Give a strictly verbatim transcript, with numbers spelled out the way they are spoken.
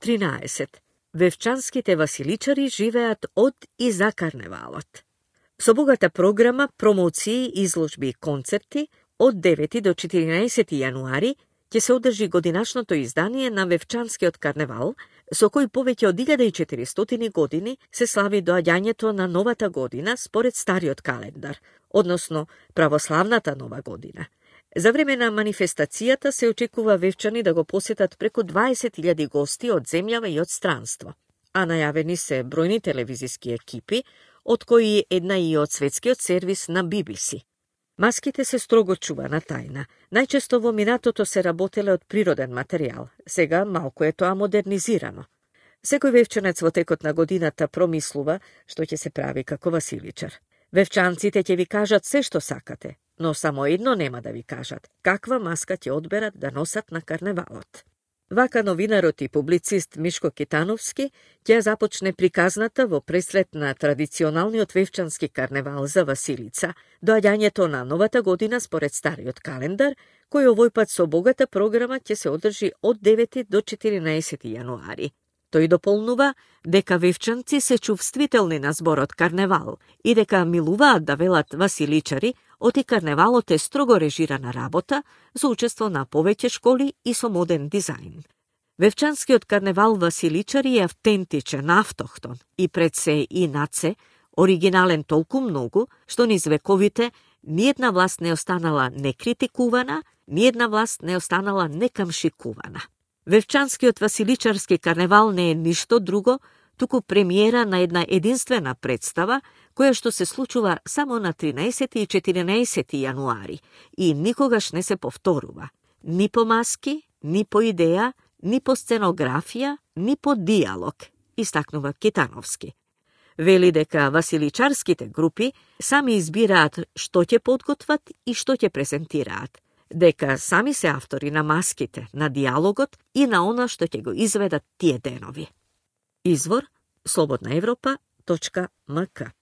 тринаесет. Вевчанските василичари живеат од и за карневалот. Со богата програма, промоции, изложби и концерти, од девети до четиринаесети јануари ќе се одржи годинашното издание на Вевчанскиот карневал, со кој повеќе од илјада и четиристотини години се слави доаѓањето на новата година според стариот календар, односно православната нова година. За време на манифестацијата се очекува вевчани да го посетат преку дваесет илјади гости од земјава и од странство, а најавени се бројни телевизиски екипи, од кои една и од светскиот сервис на Би Би Си. Маските се строго чувана тајна. Најчесто во минатото се работеле од природен материјал, сега малку е тоа модернизирано. Секој вевчанец во текот на годината промислува што ќе се прави како василичар. Вевчанците ќе ви кажат се што сакате, но само едно нема да ви кажат, каква маска ќе одберат да носат на карневалот. Вака новинарот и публицист Мишко Китановски ќе започне приказната во преслед на традиционалниот вевчански карневал за Василица, доаѓањето на новата година според стариот календар, кој овој пат со богата програма ќе се одржи од девети до четиринаесети јануари. Тој дополнува дека вевчанци се чувствителни на зборот карневал и дека милуваат да велат василичари, оти карневалот е строго режирана работа за учество на повеќе школи и со модерн дизајн. Вевчанскиот карневал василичари е автентичен, автохтон и пред се и над се оригинален толку многу, што низ вековите ниедна власт не останала некритикувана, ниедна власт не останала некамшикувана. Вевчанскиот василичарски карневал не е ништо друго, туку премиера на една единствена представа, која што се случува само на тринаесети и четиринаесети јануари и никогаш не се повторува. Ни по маски, ни по идеја, ни по сценографија, ни по диалог, истакнува Китановски. Вели дека василичарските групи сами избираат што ќе подготват и што ќе презентираат, дека сами се автори на маските, на диалогот и на она што ќе го изведат тие денови. Извор слободна европа точка ем ка